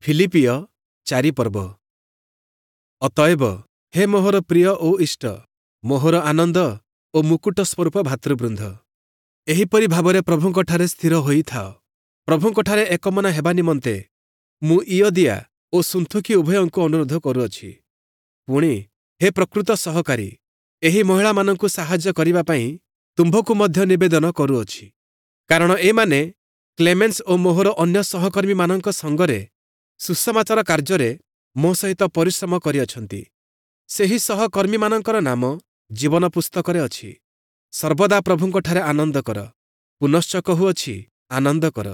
ଫିଲିପ୍ପୀୟ 4 ପର୍ବ। ଅତଏବ ହେ ମୋହର ପ୍ରିୟ ଓ ଇଷ୍ଟ, ମୋହର ଆନନ୍ଦ ଓ ମୁକୁଟ ସ୍ୱରୂପ ଭ୍ରାତୃବୃନ୍ଦ, ଏହିପରି ଭାବରେ ପ୍ରଭୁଙ୍କଠାରେ ସ୍ଥିର ହୋଇଥାଅ। ପ୍ରଭୁଙ୍କଠାରେ ଏକମନା ହେବା ନିମନ୍ତେ ମୁଁ ଇୟୋଦିଆ ଓ ସୁନ୍ଥୁଖୀ ଉଭୟଙ୍କୁ ଅନୁରୋଧ କରୁଅଛି। ପୁଣି ହେ ପ୍ରକୃତ ସହକାରୀ, ଏହି ମହିଳାମାନଙ୍କୁ ସାହାଯ୍ୟ କରିବା ପାଇଁ ତୁମ୍ଭକୁ ମଧ୍ୟ ନିବେଦନ କରୁଅଛି। କାରଣ ଏମାନେ କ୍ଲେମେନ୍ସ ଓ ମୋହର ଅନ୍ୟ ସହକର୍ମୀମାନଙ୍କ ସଙ୍ଗରେ ସୁସମାଚାର କାର୍ଯ୍ୟରେ ମୋ ସହିତ ପରିଶ୍ରମ କରିଅଛନ୍ତି। ସେହି ସହକର୍ମୀମାନଙ୍କର ନାମ ଜୀବନ ପୁସ୍ତକରେ ଅଛି। ସର୍ବଦା ପ୍ରଭୁଙ୍କଠାରେ ଆନନ୍ଦ କର। ପୁନଶ୍ଚ କହୁଅଛି, ଆନନ୍ଦ କର।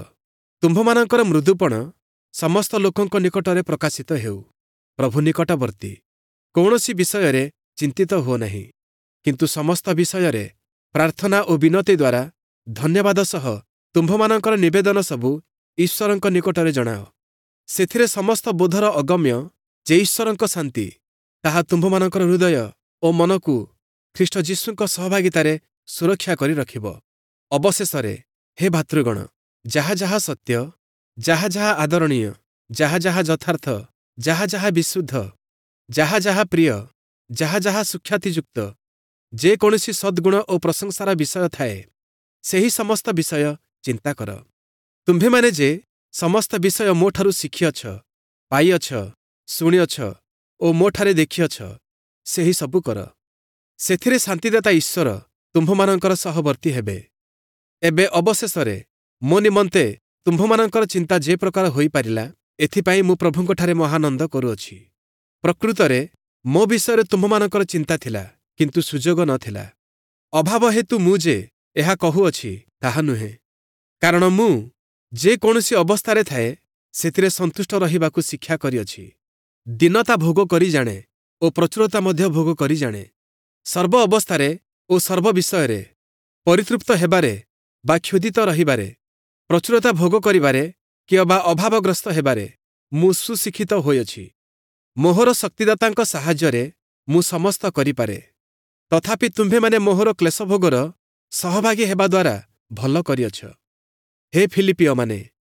ତୁମ୍ଭମାନଙ୍କର ମୃଦୁପଣ ସମସ୍ତ ଲୋକଙ୍କ ନିକଟରେ ପ୍ରକାଶିତ ହେଉ। ପ୍ରଭୁ ନିକଟବର୍ତ୍ତୀ। କୌଣସି ବିଷୟରେ ଚିନ୍ତିତ ହୁଅ ନାହିଁ, କିନ୍ତୁ ସମସ୍ତ ବିଷୟରେ ପ୍ରାର୍ଥନା ଓ ବିନତି ଦ୍ୱାରା ଧନ୍ୟବାଦ ସହ ତୁମ୍ଭମାନଙ୍କର ନିବେଦନ ସବୁ ଈଶ୍ୱରଙ୍କ ନିକଟରେ ଜଣାଅ। ସେଥିରେ ସମସ୍ତ ବୋଧର ଅଗମ୍ୟ ଯେ ଈଶ୍ୱରଙ୍କ ଶାନ୍ତି, ତାହା ତୁମ୍ଭମାନଙ୍କର ହୃଦୟ ଓ ମନକୁ ଖ୍ରୀଷ୍ଟ ଯୀଶୁଙ୍କ ସହଭାଗିତାରେ ସୁରକ୍ଷା କରି ରଖିବ। ଅବଶେଷରେ ହେ ଭ୍ରାତୃଗଣ, ଯାହା ଯାହା ସତ୍ୟ, ଯାହା ଯାହା ଆଦରଣୀୟ, ଯାହା ଯାହା ଯଥାର୍ଥ, ଯାହା ଯାହା ବିଶୁଦ୍ଧ, ଯାହା ଯାହା ପ୍ରିୟ, ଯାହା ଯାହା ସୁଖ୍ୟାତିଯୁକ୍ତ, ଯେ କୌଣସି ସଦ୍ଗୁଣ ଓ ପ୍ରଶଂସାର ବିଷୟ ଥାଏ, ସେହି ସମସ୍ତ ବିଷୟ ଚିନ୍ତା କର। ତୁମ୍ଭେମାନେ ଯେ ସମସ୍ତ ବିଷୟ ମୋଠାରୁ ଶିଖିଅଛ, ପାଇଅଛ, ଶୁଣିଅଛ ଓ ମୋଠାରେ ଦେଖିଅଛ, ସେହି ସବୁ କର। ସେଥିରେ ଶାନ୍ତିଦାତା ଈଶ୍ୱର ତୁମ୍ଭମାନଙ୍କର ସହବର୍ତ୍ତୀ ହେବେ। ଏବେ ଅବଶେଷରେ ମୋ ନିମନ୍ତେ ତୁମ୍ଭମାନଙ୍କର ଚିନ୍ତା ଯେ ପ୍ରକାର ହୋଇପାରିଲା, ଏଥିପାଇଁ ମୁଁ ପ୍ରଭୁଙ୍କଠାରେ ମହାନନ୍ଦ କରୁଅଛି। ପ୍ରକୃତରେ ମୋ ବିଷୟରେ ତୁମ୍ଭମାନଙ୍କର ଚିନ୍ତା ଥିଲା, କିନ୍ତୁ ସୁଯୋଗ ନ ଥିଲା। ଅଭାବ ହେତୁ ମୁଁ ଯେ ଏହା କହୁଅଛି, ତାହା ନୁହେଁ। କାରଣ ମୁଁ ଯେ କୌଣସି ଅବସ୍ଥାରେ ଥାଏ, ସେଥିରେ ସନ୍ତୁଷ୍ଟ ରହିବାକୁ ଶିକ୍ଷା କରିଅଛି। ଦୀନତା ଭୋଗ କରି ଜାଣେ ଓ ପ୍ରଚୁରତା ମଧ୍ୟ ଭୋଗ କରି ଜାଣେ। ସର୍ବ ଅବସ୍ଥାରେ ଓ ସର୍ବ ବିଷୟରେ ପରିତୃପ୍ତ ହେବାରେ ବା କ୍ଷୁଧିତ ରହିବାରେ, ପ୍ରଚୁରତା ଭୋଗ କରିବାରେ କିଅବା ଅଭାବଗ୍ରସ୍ତ ହେବାରେ ମୁଁ ସୁଶିକ୍ଷିତ ହୋଇଅଛି। ମୋହର ଶକ୍ତିଦାତାଙ୍କ ସାହାଯ୍ୟରେ ମୁଁ ସମସ୍ତ କରିପାରେ। ତଥାପି ତୁମ୍ଭେମାନେ ମୋହର କ୍ଲେଶଭୋଗର ସହଭାଗୀ ହେବା ଦ୍ୱାରା ଭଲ କରିଅଛ। ହେ ଫିଲିପ୍ପୀୟମାନେ,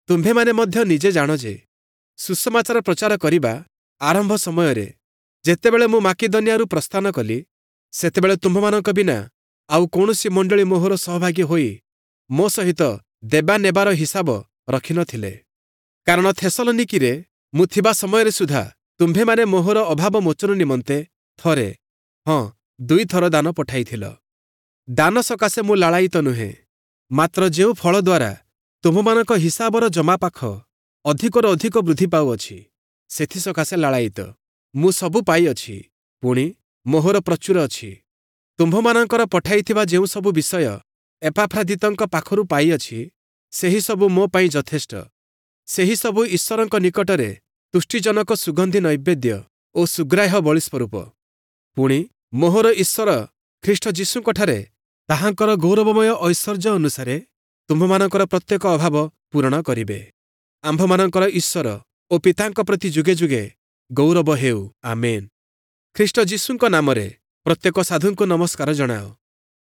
ତୁମ୍ଭେମାନେ ମଧ୍ୟ ନିଜେ ଜାଣ ଯେ ସୁସମାଚାର ପ୍ରଚାର କରିବା ଆରମ୍ଭ ସମୟରେ ଯେତେବେଳେ ମୁଁ ମାକିଦନିଆରୁ ପ୍ରସ୍ଥାନ କଲି, ସେତେବେଳେ ତୁମ୍ଭମାନଙ୍କ ବିନା ଆଉ କୌଣସି ମଣ୍ଡଳୀ ମୋହର ସହଭାଗୀ ହୋଇ ମୋ ସହିତ ଦେବା ନେବାର ହିସାବ ରଖିନଥିଲେ। କାରଣ ଥେସଲନିକୀରେ ମୁଁ ଥିବା ସମୟରେ ସୁଦ୍ଧା ତୁମ୍ଭେମାନେ ମୋହର ଅଭାବ ମୋଚନ ନିମନ୍ତେ ଥରେ, ହଁ, ଦୁଇଥର ଦାନ ପଠାଇଥିଲ। ଦାନ ସକାଶେ ମୁଁ ଲାଳାୟିତ ନୁହେଁ, ମାତ୍ର ଯେଉଁ ଫଳ ଦ୍ୱାରା ତୁମ୍ଭମାନଙ୍କ ହିସାବର ଜମାପାଖ ଅଧିକରୁ ଅଧିକ ବୃଦ୍ଧି ପାଉଅଛି, ସେଥି ସକାଶେ ଲାଳାୟିତ। ମୁଁ ସବୁ ପାଇଅଛି, ପୁଣି ମୋହର ପ୍ରଚୁର ଅଛି। ତୁମ୍ଭମାନଙ୍କର ପଠାଇଥିବା ଯେଉଁ ସବୁ ବିଷୟ ଏପାଫ୍ରାଦିତଙ୍କ ପାଖରୁ ପାଇଅଛି, ସେହି ସବୁ ମୋ ପାଇଁ ଯଥେଷ୍ଟ। ସେହି ସବୁ ଈଶ୍ୱରଙ୍କ ନିକଟରେ ତୁଷ୍ଟିଜନକ ସୁଗନ୍ଧି ନୈବେଦ୍ୟ ଓ ସୁଗ୍ରାହ୍ୟ ବଳି ସ୍ୱରୂପ। ପୁଣି ମୋହର ଈଶ୍ୱର ଖ୍ରୀଷ୍ଟ ଯୀଶୁଙ୍କଠାରେ ତାହାଙ୍କର ଗୌରବମୟ ଐଶ୍ୱର୍ଯ୍ୟ ଅନୁସାରେ ତୁମ୍ଭମାନଙ୍କର ପ୍ରତ୍ୟେକ ଅଭାବ ପୂରଣ କରିବେ। ଆମ୍ଭମାନଙ୍କର ଈଶ୍ୱର ଓ ପିତାଙ୍କ ପ୍ରତି ଯୁଗେ ଯୁଗେ ଗୌରବ ହେଉ। ଆମେନ୍। ଖ୍ରୀଷ୍ଟ ଯୀଶୁଙ୍କ ନାମରେ ପ୍ରତ୍ୟେକ ସାଧୁଙ୍କୁ ନମସ୍କାର ଜଣାଅ।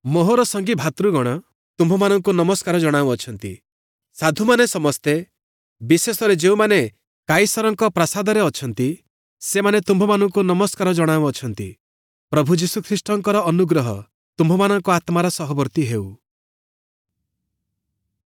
ମୋହର ସଙ୍ଗୀ ଭ୍ରାତୃଗଣ ତୁମ୍ଭମାନଙ୍କୁ ନମସ୍କାର ଜଣାଉଅଛନ୍ତି। ସାଧୁମାନେ ସମସ୍ତେ, ବିଶେଷରେ ଯେଉଁମାନେ କାଇସରଙ୍କ ପ୍ରାସାଦରେ ଅଛନ୍ତି, ସେମାନେ ତୁମ୍ଭମାନଙ୍କୁ ନମସ୍କାର ଜଣାଉଅଛନ୍ତି। ପ୍ରଭୁ ଯୀଶୁଖ୍ରୀଷ୍ଟଙ୍କର ଅନୁଗ୍ରହ ତୁମ୍ଭମାନଙ୍କ ଆତ୍ମାର ସହବର୍ତ୍ତୀ ହେଉ।